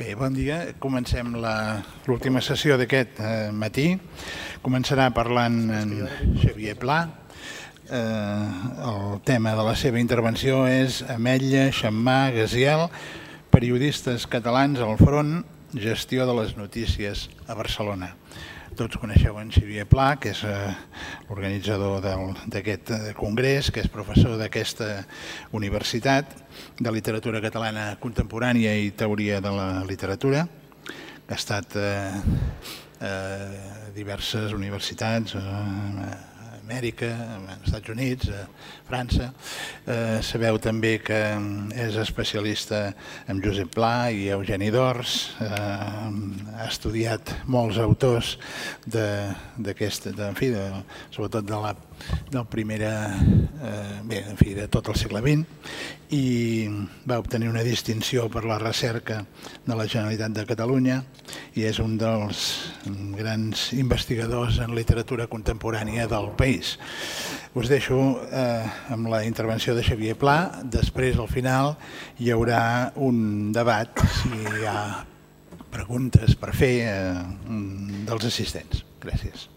Bé, bon dia. Comencem l'última sessió d'aquest matí. Començarà parlant en Xavier Pla. El tema de la seva intervenció és Ametlla, Xammar, Gaziel, periodistes catalans al front, gestió de les notícies a Barcelona. Tots coneixeu en Xavier Pla, que és l'organitzador d'aquest congrés, que és professor d'aquesta universitat de literatura catalana contemporània i teoria de la literatura, que ha estat a diverses universitats, a Amèrica, als Estats Units, a França. Sabeu també que és especialista en Josep Pla i Eugeni d'Ors. Ha estudiat molts autors sobretot de tot el segle XX, i va obtenir una distinció per la recerca de la Generalitat de Catalunya i és un dels grans investigadors en literatura contemporània del país. Us deixo amb la intervenció de Xavier Pla. Després, al final, hi haurà un debat, si hi ha preguntes per fer dels assistents. Gràcies.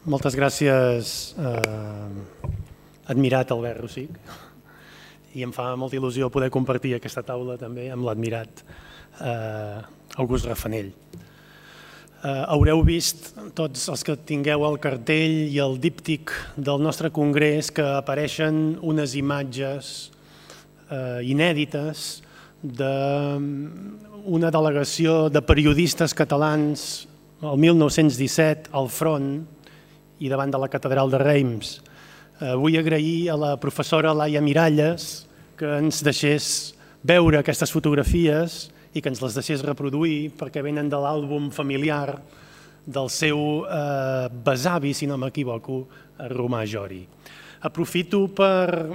Moltes gràcies, admirat Albert Rosich, i em fa molta il·lusió poder compartir aquesta taula també amb l'admirat August Rafanell. Haureu vist, tots els que tingueu el cartell i el díptic del nostre congrés, que apareixen unes imatges inèdites d'una delegació de periodistes catalans el 1917 al front i davant de la catedral de Reims. Vull agrair a la professora Laia Miralles que ens deixés veure aquestes fotografies i que ens les deixés reproduir, perquè venen de l'àlbum familiar del seu besavi, si no m'equivoco, Romà Jori. Aprofito per,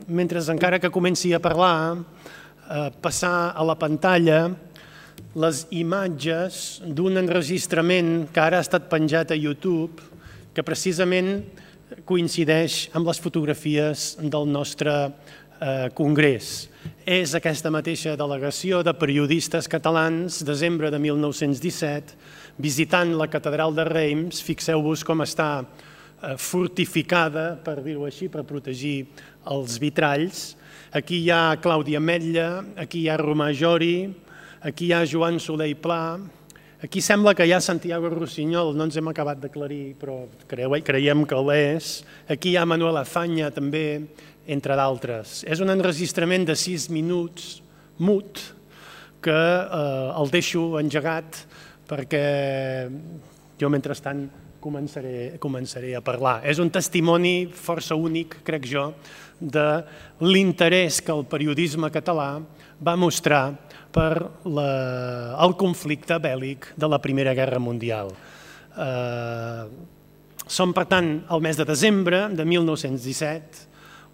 mentre encara que comenci a parlar, passar a la pantalla les imatges d'un enregistrament que ara ha estat penjat a YouTube, que precisament coincideix amb les fotografies del nostre congrés. És aquesta mateixa delegació de periodistes catalans, desembre de 1917, visitant la catedral de Reims. Fixeu-vos com està fortificada, per dir-ho així, per protegir els vitralls. Aquí hi ha Clàudia Ametlla, aquí hi ha Romà Jori, aquí hi ha Joan Soler i Pla. Aquí sembla que hi ha Santiago Rossinyol, no ens hem acabat d'aclarir, però creiem que l'és. Aquí hi ha Manuel Azaña també, entre d'altres. És un enregistrament de 6 minuts, mut, que el deixo engegat perquè jo, mentrestant, començaré a parlar. És un testimoni força únic, crec jo, de l'interès que el periodisme català va mostrar per el conflicte bèl·lic de la Primera Guerra Mundial. Som, per tant, al mes de desembre de 1917,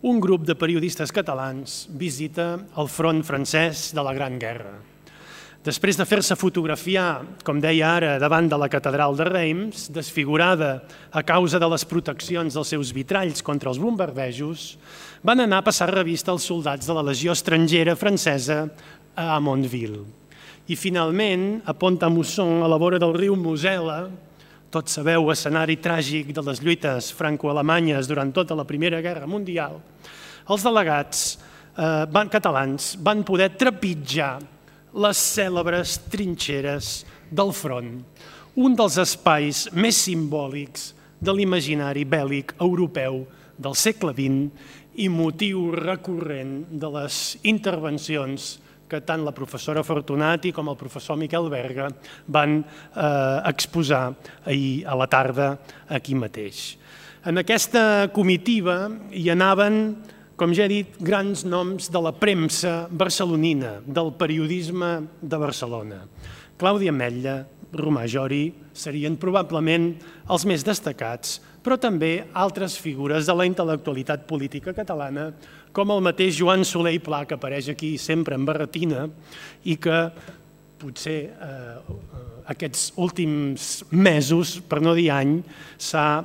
un grup de periodistes catalans visita el front francès de la Gran Guerra. Després de fer-se fotografiar, com deia ara, davant de la catedral de Reims, desfigurada a causa de les proteccions dels seus vitralls contra els bombardejos, van anar a passar revista als soldats de la Legió Estrangera francesa a Amontville. I finalment, a Pont-à-Mousson, a la vora del riu Mosel·la, tots sabeu, escenari tràgic de les lluites franco-alemanyes durant tota la Primera Guerra Mundial, els delegats catalans van poder trepitjar les cèlebres trinxeres del front, un dels espais més simbòlics de l'imaginari bèl·lic europeu del segle XX i motiu recurrent de les intervencions que tant la professora Fortunati com el professor Miquel Berga van exposar ahir a la tarda aquí mateix. En aquesta comitiva hi anaven, com ja he dit, grans noms de la premsa barcelonina, del periodisme de Barcelona. Clàudia Ametlla, Romà Jori serien probablement els més destacats, però també altres figures de la intel·lectualitat política catalana, com el mateix Joan Soler i Pla, que apareix aquí sempre en barretina i que potser aquests últims mesos, per no dir any, s'ha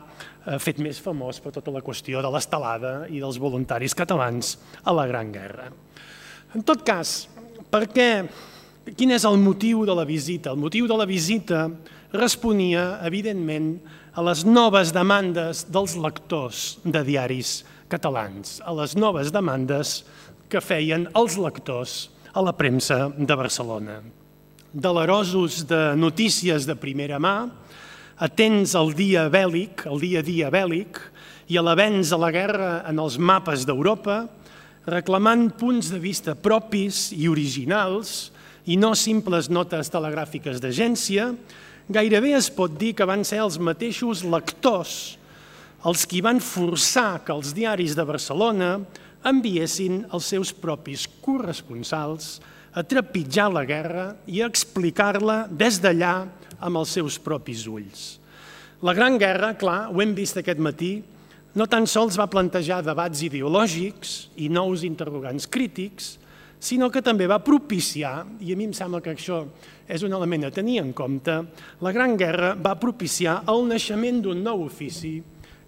fet més famós per tota la qüestió de l'estelada i dels voluntaris catalans a la Gran Guerra. En tot cas, per què Quin és el motiu de la visita? El motiu de la visita responia, evidentment, a les noves demandes dels lectors de diaris catalans, a les noves demandes que feien els lectors a la premsa de Barcelona. Delerosos de notícies de primera mà, atents al dia bèl·lic, al dia a dia bèl·lic, i a l'avenç de la guerra en els mapes d'Europa, reclamant punts de vista propis i originals i no simples notes telegràfiques d'agència, gairebé es pot dir que van ser els mateixos lectors els qui van forçar que els diaris de Barcelona enviessin els seus propis corresponsals a trepitjar la guerra i a explicar-la des d'allà amb els seus propis ulls. La Gran Guerra, clar, ho hem vist aquest matí, no tan sols va plantejar debats ideològics i nous interrogants crítics, sinó que també va propiciar, i a mi em sembla que això és un element a tenir en compte, la Gran Guerra va propiciar el naixement d'un nou ofici,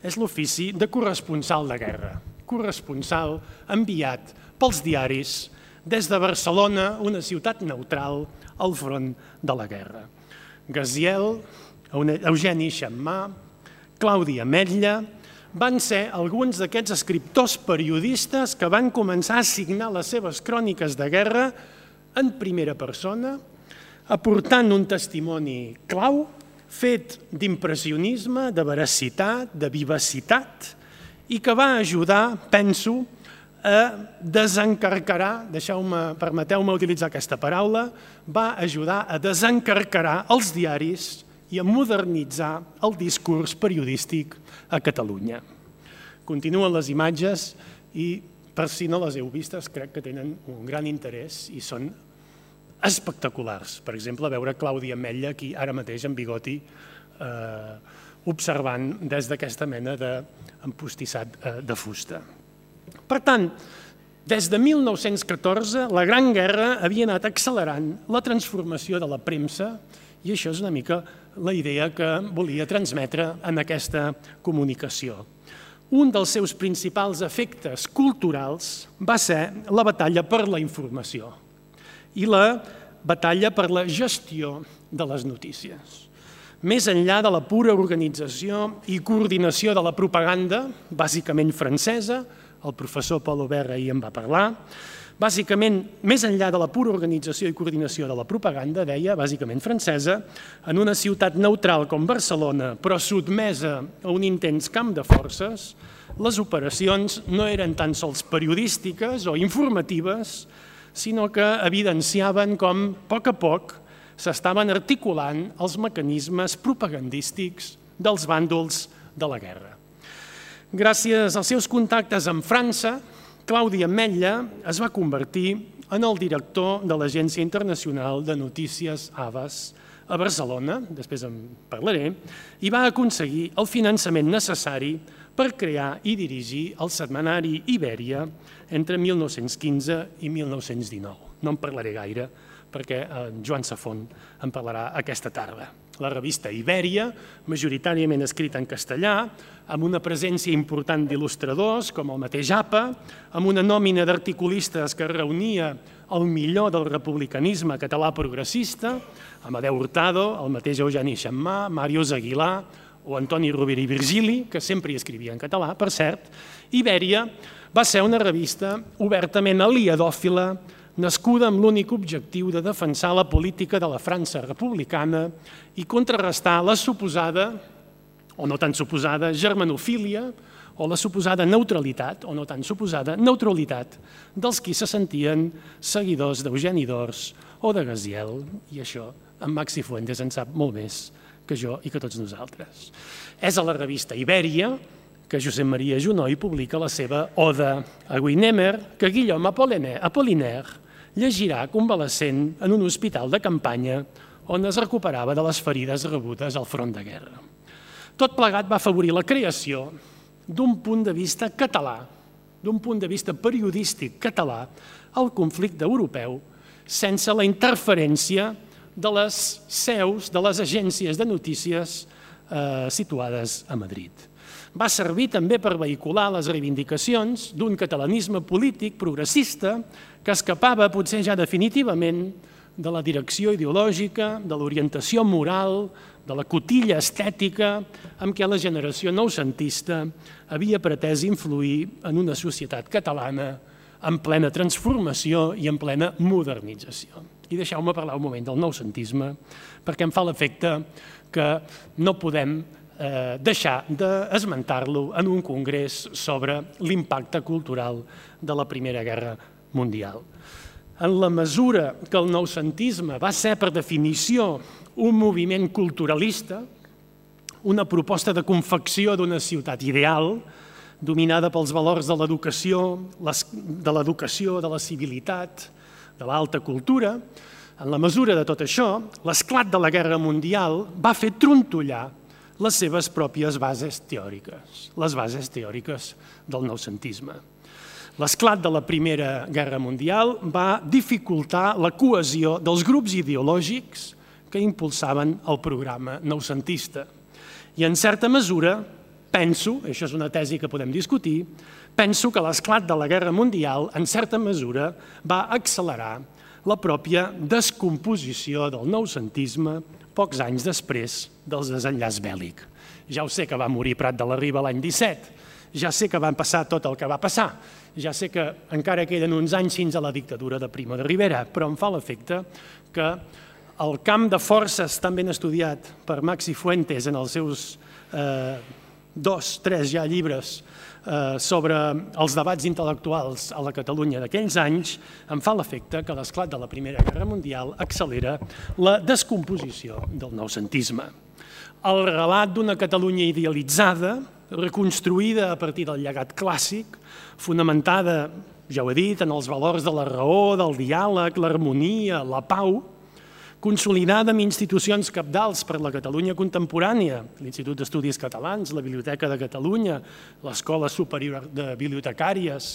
és l'ofici de corresponsal de guerra, corresponsal enviat pels diaris des de Barcelona, una ciutat neutral, al front de la guerra. Gaziel, Eugeni Xammar, Claudi Ametlla, van ser alguns d'aquests escriptors periodistes que van començar a signar les seves cròniques de guerra en primera persona, aportant un testimoni clau, fet d'impressionisme, de veracitat, de vivacitat, i que va ajudar, penso, a desencarcarar, permeteu-me utilitzar aquesta paraula, va ajudar a desencarcarar els diaris i a modernitzar el discurs periodístic a Catalunya. Continuen les imatges i, per si no les heu vistes, crec que tenen un gran interès i són espectaculars. Per exemple, veure Claudi Ametlla aquí ara mateix en bigoti observant des d'aquesta mena d'empostissat de fusta. Per tant, des de 1914, la Gran Guerra havia anat accelerant la transformació de la premsa i això és una mica la idea que volia transmetre en aquesta comunicació. Un dels seus principals efectes culturals va ser la batalla per la informació i la batalla per la gestió de les notícies. Més enllà de la pura organització i coordinació de la propaganda, bàsicament francesa, el professor Paul Aubert ahir en va parlar, bàsicament, més enllà de la pura organització i coordinació de la propaganda, deia, bàsicament francesa, en una ciutat neutral com Barcelona, però sotmesa a un intens camp de forces, les operacions no eren tan sols periodístiques o informatives, sinó que evidenciaven com, a poc, s'estaven articulant els mecanismes propagandístics dels bàndols de la guerra. Gràcies als seus contactes amb França, Claudi Ametlla es va convertir en el director de l'Agència Internacional de Notícies AVAS a Barcelona, després en parlaré, i va aconseguir el finançament necessari per crear i dirigir el setmanari Ibèria entre 1915 i 1919. No en parlaré gaire, perquè en Joan Safont en parlarà aquesta tarda. La revista Ibèria, majoritàriament escrita en castellà, amb una presència important d'il·lustradors, com el mateix APA, amb una nòmina d'articulistes que reunia el millor del republicanisme català progressista, Amadeu Hurtado, el mateix Eugeni Xammar, Màrius Aguilar o Antoni Rovira i Virgili, que sempre hi escrivia en català, per cert. Ibèria va ser una revista obertament aliadòfila, nascuda amb l'únic objectiu de defensar la política de la França republicana i contrarrestar la suposada, o no tan suposada, germanofília o la suposada neutralitat, o no tan suposada, neutralitat dels qui se sentien seguidors d'Eugeni d'Ors o de Gaziel, i això en Maxi Fuentes en sap molt més que jo i que tots nosaltres. És a la revista Ibèria que Josep Maria Junoy publica la seva Oda a Wiener, que Guillaume Apollinaire llegirà convalescent en un hospital de campanya on es recuperava de les ferides rebudes al front de guerra. Tot plegat va afavorir la creació d'un punt de vista català, d'un punt de vista periodístic català, al conflicte europeu, sense la interferència de les seus, de les agències de notícies situades a Madrid. Va servir també per vehicular les reivindicacions d'un catalanisme polític progressista que escapava potser ja definitivament de la direcció ideològica, de l'orientació moral, de la cotilla estètica amb què la generació noucentista havia pretès influir en una societat catalana en plena transformació i en plena modernització. I deixeu-me parlar un moment del noucentisme, perquè em fa l'efecte que no podem deixar d'esmentar-lo en un congrés sobre l'impacte cultural de la Primera Guerra Mundial. En la mesura que el noucentisme va ser, per definició, un moviment culturalista, una proposta de confecció d'una ciutat ideal, dominada pels valors de l'educació, de la civilitat, de l'alta cultura, en la mesura de tot això, l'esclat de la Guerra Mundial va fer trontollar les seves pròpies bases teòriques, les bases teòriques del noucentisme. L'esclat de la Primera Guerra Mundial va dificultar la cohesió dels grups ideològics que impulsaven el programa noucentista. I en certa mesura, penso, això és una tesi que podem discutir, penso que l'esclat de la Guerra Mundial, en certa mesura, va accelerar la pròpia descomposició del noucentisme pocs anys després del desenllaç bèl·lic. Ja ho sé que va morir Prat de la Riba l'any 17, ja sé que va passar tot el que va passar, ja sé que encara queden uns anys fins a la dictadura de Primo de Rivera, però em fa l'efecte que el camp de forces tan ben estudiat per Maxi Fuentes en els seus 2-3 ja llibres sobre els debats intel·lectuals a la Catalunya d'aquells anys, em fa l'efecte que l'esclat de la Primera Guerra Mundial accelera la descomposició del noucentisme. El relat d'una Catalunya idealitzada, reconstruïda a partir del llegat clàssic, fonamentada, ja ho he dit, en els valors de la raó, del diàleg, l'harmonia, la pau, consolidada amb institucions cabdals per la Catalunya contemporània, l'Institut d'Estudis Catalans, la Biblioteca de Catalunya, l'Escola Superior de Bibliotecàries,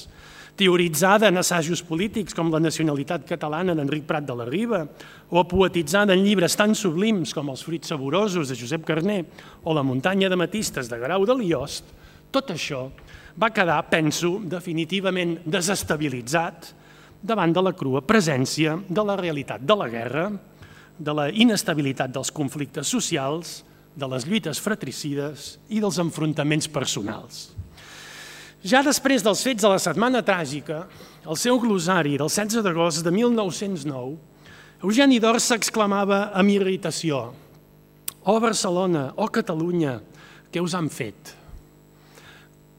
teoritzada en assajos polítics com la nacionalitat catalana d'Enric Prat de la Riba, o poetitzada en llibres tan sublims com Els fruits saborosos de Josep Carner o La muntanya d'ametistes de Guerau de Liost, tot això va quedar, penso, definitivament desestabilitzat davant de la crua presència de la realitat de la guerra, de la inestabilitat dels conflictes socials, de les lluites fratricides i dels enfrontaments personals. Ja després dels fets de la Setmana Tràgica, el seu glosari del 16 d'agost de 1909, Eugeni d'Ors s'exclamava amb irritació: «Oh Barcelona, oh Catalunya, què us han fet?»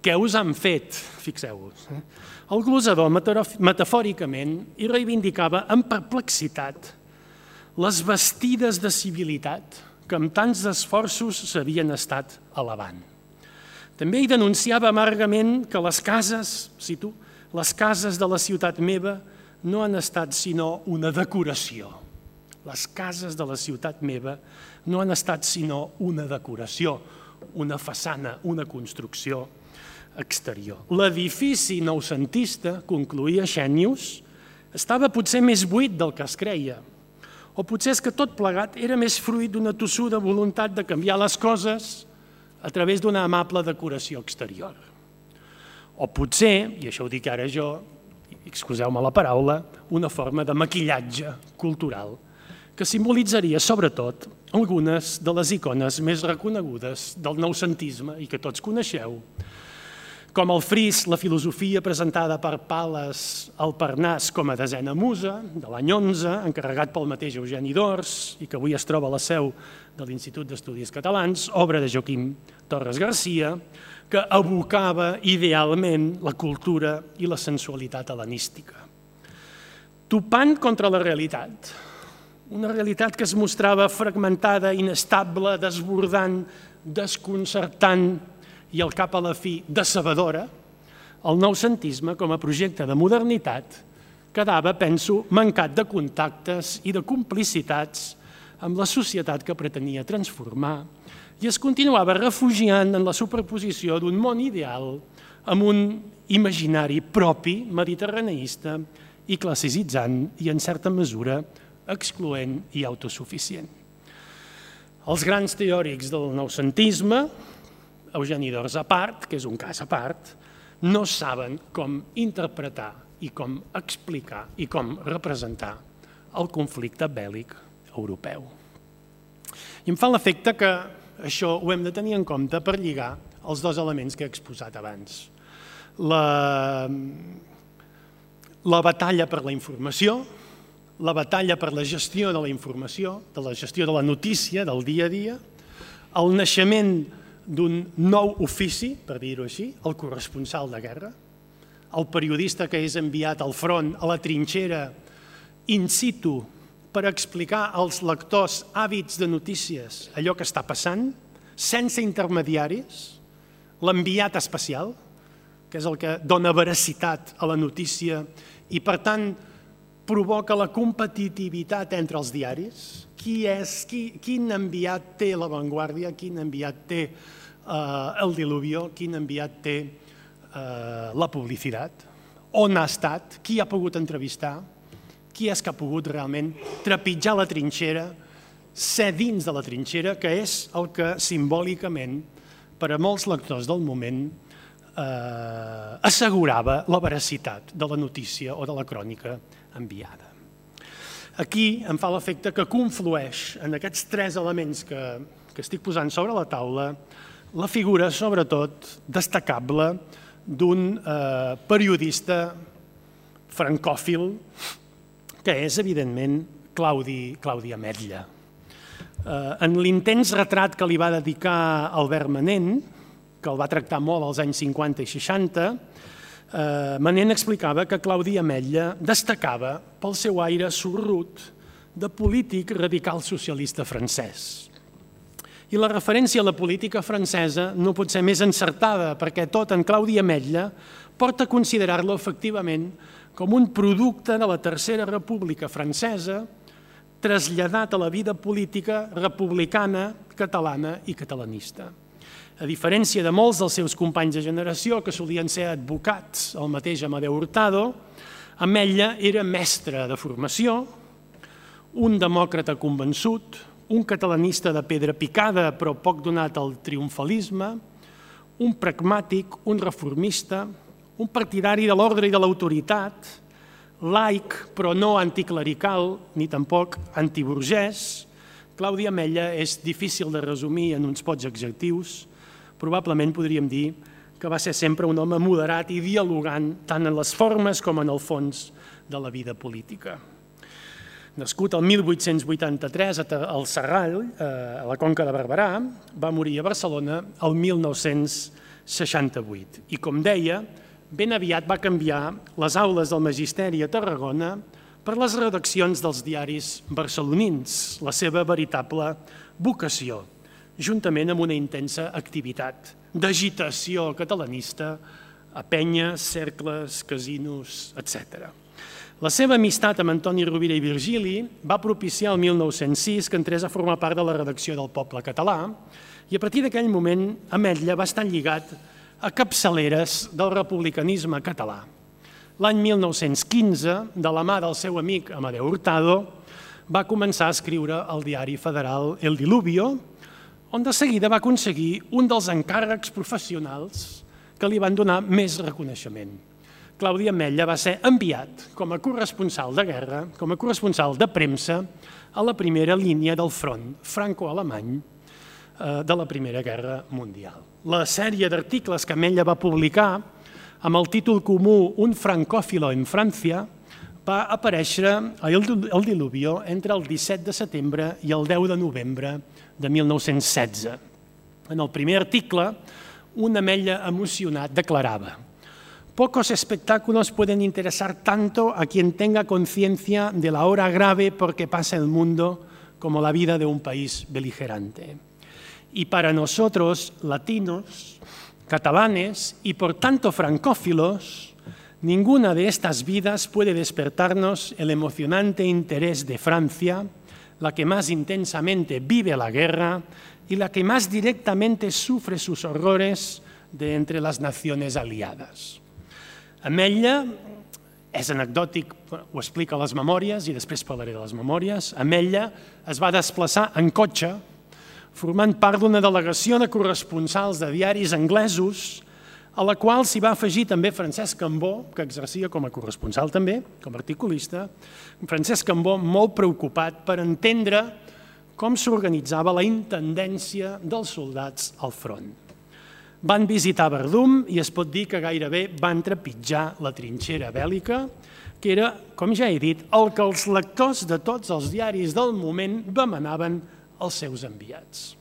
Què us han fet, fixeu-vos. El glosador, metafòricament, hi reivindicava amb perplexitat les bastides de civilitat que amb tants esforços s'havien estat elevant. També hi denunciava amargament que les cases, cito, les cases de la ciutat meva no han estat sinó una decoració. Les cases de la ciutat meva no han estat sinó una decoració, una façana, una construcció exterior. L'edifici noucentista, concloïa Xènius, estava potser més buit del que es creia, o potser és que tot plegat era més fruit d'una tossuda voluntat de canviar les coses a través d'una amable decoració exterior. O potser, i això ho dic ara jo, excuseu-me la paraula, una forma de maquillatge cultural que simbolitzaria sobretot algunes de les icones més reconegudes del noucentisme i que tots coneixeu, com el fris, la filosofia presentada per Pales al Parnàs com a desena musa, de l'any 11, encarregat pel mateix Eugeni d'Ors i que avui es troba a la seu de l'Institut d'Estudis Catalans, obra de Joaquim Torres Garcia, que evocava idealment la cultura i la sensualitat hel·lenística. Topant contra la realitat, una realitat que es mostrava fragmentada, inestable, desbordant, desconcertant, i al cap a la fi decebedora, el noucentisme, com a projecte de modernitat, quedava, penso, mancat de contactes i de complicitats amb la societat que pretenia transformar i es continuava refugiant en la superposició d'un món ideal amb un imaginari propi, mediterraneista i classicitzant i, en certa mesura, excloent i autosuficient. Els grans teòrics del noucentisme, Eugeni d'Ors a part, que és un cas a part, no saben com interpretar i com explicar i com representar el conflicte bèl·lic europeu. I em fa l'efecte que això ho hem de tenir en compte per lligar els dos elements que he exposat abans. La batalla per la informació, la batalla per la gestió de la informació, de la gestió de la notícia, del dia a dia, el naixement d'un nou ofici, per dir-ho així, el corresponsal de guerra, el periodista que és enviat al front, a la trinxera, in situ, per explicar als lectors hàbits de notícies allò que està passant, sense intermediaris, l'enviat especial, que és el que dona veracitat a la notícia i, per tant, provoca la competitivitat entre els diaris. Quin enviat té La Vanguardia, quin enviat té El Diluvio, quin enviat té La Publicitat, on ha estat, qui ha pogut entrevistar, qui és que ha pogut realment trepitjar la trinxera, ser dins de la trinxera, que és el que simbòlicament, per a molts lectors del moment, assegurava la veracitat de la notícia o de la crònica enviada. Aquí em fa l'efecte que conflueix en aquests tres elements que estic posant sobre la taula la figura, sobretot, destacable d'un periodista francòfil que és, evidentment, Claudi Ametlla. En l'intens retrat que li va dedicar Albert Manent, que el va tractar molt als anys 50 i 60, Manent explicava que Claudi Ametlla destacava pel seu aire sorrut de polític radical socialista francès. I la referència a la política francesa no pot ser més encertada, perquè tot en Claudi Ametlla porta a considerar-lo efectivament com un producte de la Tercera República francesa traslladat a la vida política republicana, catalana i catalanista. A diferència de molts dels seus companys de generació, que solien ser advocats, el mateix Amadeu Hurtado, Ametlla era mestre de formació, un demòcrata convençut, un catalanista de pedra picada però poc donat al triomfalisme, un pragmàtic, un reformista, un partidari de l'ordre i de l'autoritat, laic però no anticlerical ni tampoc antiburgès. Claudi Ametlla és difícil de resumir en uns pocs adjectius. Probablement podríem dir que va ser sempre un home moderat i dialogant tant en les formes com en el fons de la vida política. Nascut el 1883 al Serrall, a la Conca de Barberà, va morir a Barcelona el 1968. I, com deia, ben aviat va canviar les aules del magisteri a Tarragona per les redaccions dels diaris barcelonins, la seva veritable vocació, juntament amb una intensa activitat d'agitació catalanista a penyes, cercles, casinos, etc. La seva amistat amb Antoni Rovira i Virgili va propiciar el 1906 que entrés a formar part de la redacció del Poble Català i a partir d'aquell moment Ametlla va estar lligat a capçaleres del republicanisme català. L'any 1915, de la mà del seu amic Amadeu Hurtado, va començar a escriure al diari federal El Diluvio, on de seguida va aconseguir un dels encàrrecs professionals que li van donar més reconeixement. Claudi Ametlla va ser enviat com a corresponsal de guerra, com a corresponsal de premsa, a la primera línia del front franco-alemany de la Primera Guerra Mundial. La sèrie d'articles que Ametlla va publicar amb el títol comú Un francófilo en Francia va aparèixer a El Diluvio entre el 17 de setembre i el 10 de novembre de 1916. En el primer article, un Ametlla emocionat declarava: «Pocos espectáculos pueden interesar tanto a quien tenga conciencia de la hora grave por que pasa el mundo como la vida de un país beligerante. Y para nosotros, latinos, catalanes y por tanto francófilos, ninguna de estas vidas puede despertarnos el emocionante interés de Francia, la que más intensamente vive la guerra y la que más directamente sufre sus horrores de entre las naciones aliadas». Ametlla, és anecdòtic, ho explica a les memòries i després parlaré de les memòries, Ametlla es va desplaçar en cotxe, formant part d'una delegació de corresponsals de diaris anglesos a la qual s'hi va afegir també Francesc Cambó, que exercia com a corresponsal també, com a articulista. Francesc Cambó molt preocupat per entendre com s'organitzava la intendència dels soldats al front. Van visitar Verdum i es pot dir que gairebé van trepitjar la trinxera bèl·lica, que era, com ja he dit, el que els lectors de tots els diaris del moment demanaven als seus enviats.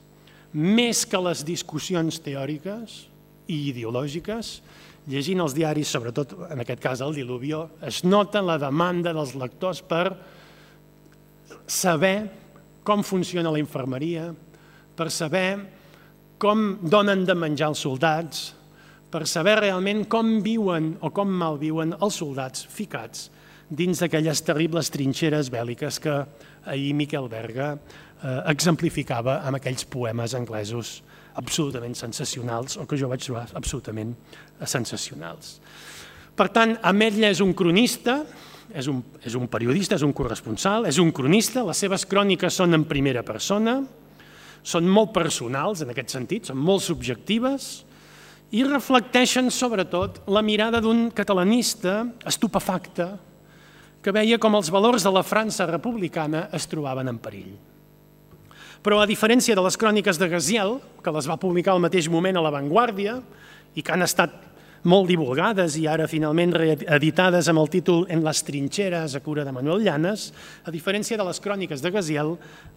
Més que les discussions teòriques i ideològiques, llegint els diaris, sobretot en aquest cas el Diluvio, es nota la demanda dels lectors per saber com funciona la infermeria, per saber com donen de menjar els soldats, per saber realment com viuen o com malviuen els soldats ficats dins d'aquelles terribles trinxeres bèl·liques que ahir Miquel Berga exemplificava amb aquells poemes anglesos absolutament sensacionals, o que jo vaig trobar absolutament sensacionals. Per tant, Ametlla és un cronista, és un periodista, és un corresponsal, és un cronista, les seves cròniques són en primera persona, són molt personals en aquest sentit, són molt subjectives i reflecteixen sobretot la mirada d'un catalanista estupefacte que veia com els valors de la França republicana es trobaven en perill. Però a diferència de les cròniques de Gaziel, que les va publicar al mateix moment a La Vanguardia i que han estat molt divulgades i ara finalment reeditades amb el títol En las trincheras, a cura de Manuel Llanes, a diferència de les cròniques de Gaziel,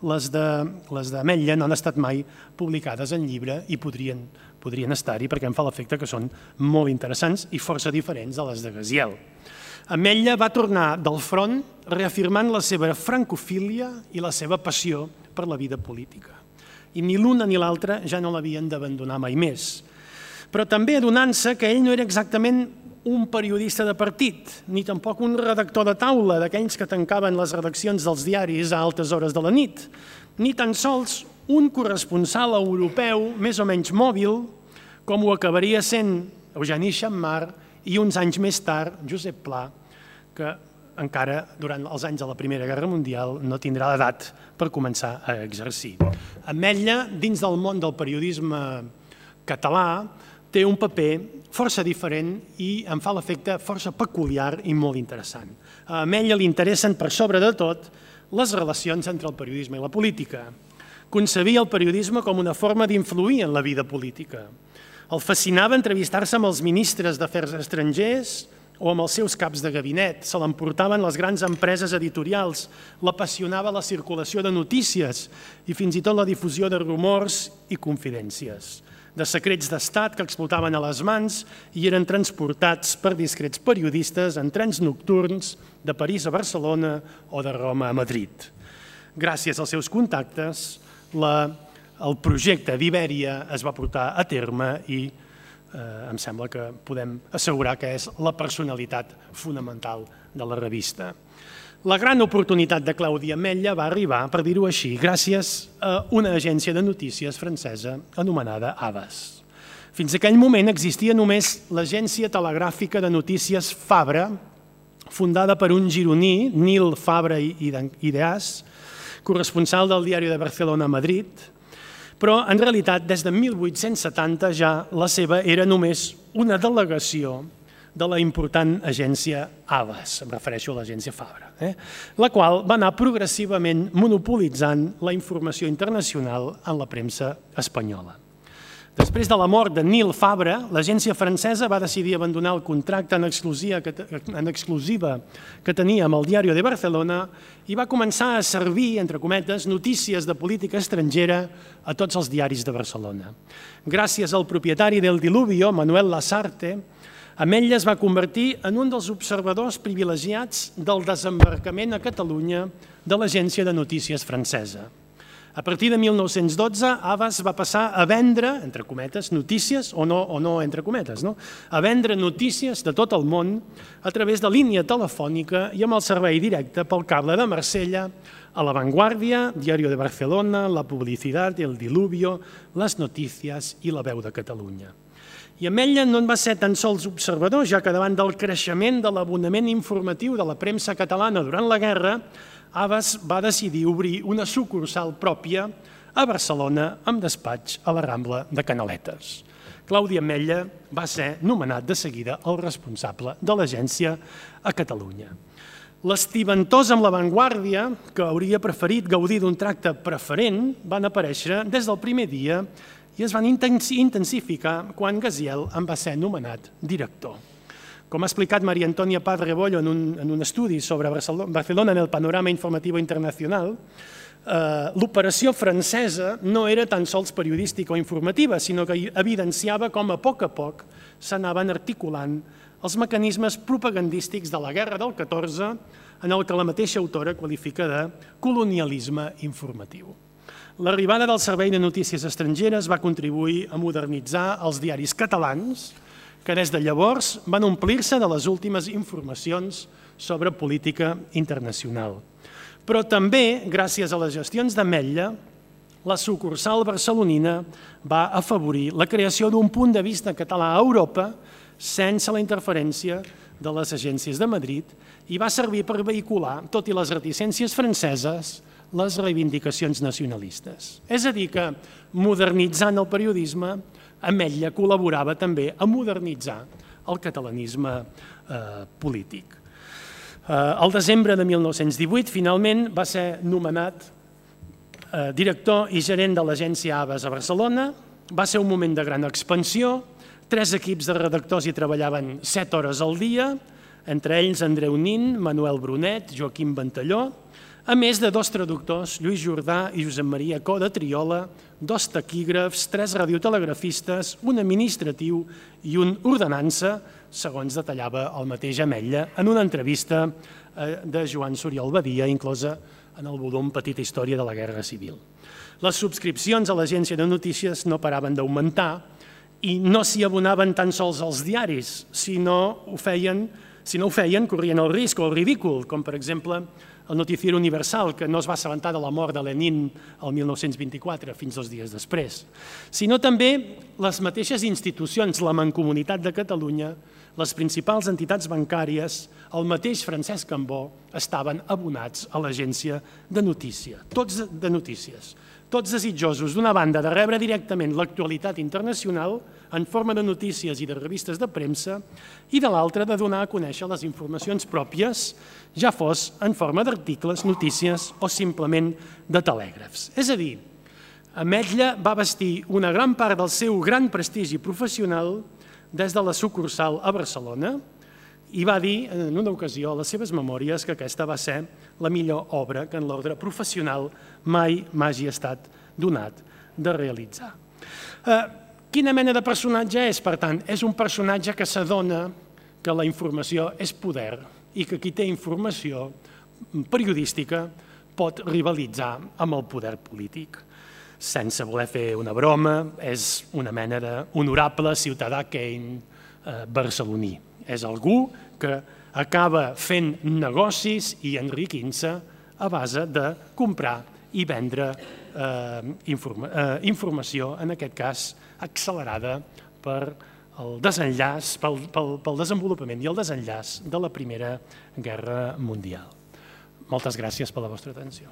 les d'Ametlla no han estat mai publicades en llibre i podrien estar-hi perquè em fa l'efecte que són molt interessants i força diferents de les de Gaziel. Ametlla va tornar del front reafirmant la seva francofília i la seva passió per la vida política. I ni l'una ni l'altra ja no l'havien d'abandonar mai més. Però també adonant-se que ell no era exactament un periodista de partit, ni tampoc un redactor de taula d'aquells que tancaven les redaccions dels diaris a altes hores de la nit, ni tan sols un corresponsal europeu més o menys mòbil, com ho acabaria sent Eugeni Xammar i uns anys més tard Josep Pla, que encara durant els anys de la Primera Guerra Mundial no tindrà l'edat per començar a exercir. Ametlla, dins del món del periodisme català, té un paper força diferent i em fa l'efecte força peculiar i molt interessant. A Ametlla li interessen per sobre de tot les relacions entre el periodisme i la política. Concebia el periodisme com una forma d'influir en la vida política. El fascinava entrevistar-se amb els ministres d'Afers Estrangers o amb els seus caps de gabinet, se l'emportaven les grans empreses editorials, l'apassionava la circulació de notícies i fins i tot la difusió de rumors i confidències, de secrets d'estat que explotaven a les mans i eren transportats per discrets periodistes en trens nocturns de París a Barcelona o de Roma a Madrid. Gràcies als seus contactes, el projecte d'Ibèria es va portar a terme i em sembla que podem assegurar que és la personalitat fonamental de la revista. La gran oportunitat de Claudi Ametlla va arribar, per dir-ho així, gràcies a una agència de notícies francesa anomenada Havas. Fins a aquell moment existia només l'agència telegràfica de notícies Fabra, fundada per un gironí, Nil Fabra i Ideas, corresponsal del Diari de Barcelona a Madrid, però en realitat des de 1870 ja la seva era només una delegació de la important agència Havas, em refereixo a l'agència Fabra, la qual va anar progressivament monopolitzant la informació internacional en la premsa espanyola. Després de la mort de Nil Fabra, l'agència francesa va decidir abandonar el contracte en exclusiva que tenia amb el Diari de Barcelona i va començar a servir, entre cometes, notícies de política estrangera a tots els diaris de Barcelona. Gràcies al propietari del Diluvio, Manuel Lasarte, Ametlla es va convertir en un dels observadors privilegiats del desembarcament a Catalunya de l'agència de notícies francesa. A partir de 1912, Havas va passar a vendre, entre cometes, notícies, o no entre cometes, a vendre notícies de tot el món a través de línia telefònica i amb el servei directe pel cable de Marsella a La Vanguardia, Diario de Barcelona, La Publicidad, El Diluvio, Les Notícies i La Veu de Catalunya. I Ametlla no en va ser tan sols observador, ja que davant del creixement de l'abonament informatiu de la premsa catalana durant la guerra, Havas va decidir obrir una sucursal pròpia a Barcelona amb despatx a la Rambla de Canaletes. Claudi Ametlla va ser nomenat de seguida el responsable de l'agència a Catalunya. L'estiventós amb l'avantguàrdia, que hauria preferit gaudir d'un tracte preferent, van aparèixer des del primer dia i es van intensificar quan Gaziel en va ser nomenat director. Com ha explicat María Antonia Paz Rebollo en un estudi sobre Barcelona en el panorama informatiu internacional, l'operació francesa no era tan sols periodística o informativa, sinó que evidenciava com a poc s'anaven articulant els mecanismes propagandístics de la Guerra del 14, en el que la mateixa autora qualifica de colonialisme informatiu. L'arribada del Servei de Notícies Estrangeres va contribuir a modernitzar els diaris catalans, que des de llavors van omplir-se de les últimes informacions sobre política internacional. Però també, gràcies a les gestions d'Ametlla, la sucursal barcelonina va afavorir la creació d'un punt de vista català a Europa sense la interferència de les agències de Madrid i va servir per vehicular, tot i les reticències franceses, les reivindicacions nacionalistes. És a dir, que modernitzant el periodisme, Ametlla col·laborava també a modernitzar el catalanisme polític. El desembre de 1918, finalment, va ser nomenat director i gerent de l'agència Aves a Barcelona. Va ser un moment de gran expansió. 3 equips de redactors hi treballaven 7 hores al dia, entre ells Andreu Nin, Manuel Brunet, Joaquim Ventalló, a més de 2 traductors, Lluís Jordà i Josep Maria Co de Triola, 2 taquígrafs, 3 radiotelegrafistes, un administratiu i un ordenança, segons detallava el mateix Ametlla en una entrevista de Joan Soriol Badia, inclosa en el volum Petita història de la Guerra Civil. Les subscripcions a l'agència de notícies no paraven d'augmentar i no s'hi abonaven tan sols els diaris, si no ho feien, corrien el risc o el ridícul, com per exemple el Noticiero Universal, que no es va assabentar de la mort de Lenin el 1924, fins 2 dies després, sinó també les mateixes institucions, la Mancomunitat de Catalunya, les principals entitats bancàries, el mateix Francesc Cambó, estaven abonats a l'agència de notícies, tots desitjosos, d'una banda, de rebre directament l'actualitat internacional en forma de notícies i de revistes de premsa, i de l'altra, de donar a conèixer les informacions pròpies, ja fos en forma d'articles, notícies o simplement de telègrafs. És a dir, Ametlla va vestir una gran part del seu gran prestigi professional des de la sucursal a Barcelona i va dir en una ocasió a les seves memòries que aquesta va ser la millor obra que en l'ordre professional mai m'hagi estat donat de realitzar. Quina mena de personatge és, per tant? És un personatge que s'adona que la informació és poder i que qui té informació periodística pot rivalitzar amb el poder polític. Sense voler fer una broma, és una mena d'honorable ciutadà Kane barceloní. És algú que acaba fent negocis i enriquint-se a base de comprar i vendre informació, en aquest cas accelerada per el desenllaç, pel desenvolupament i el desenllaç de la Primera Guerra Mundial. Moltes gràcies per la vostra atenció.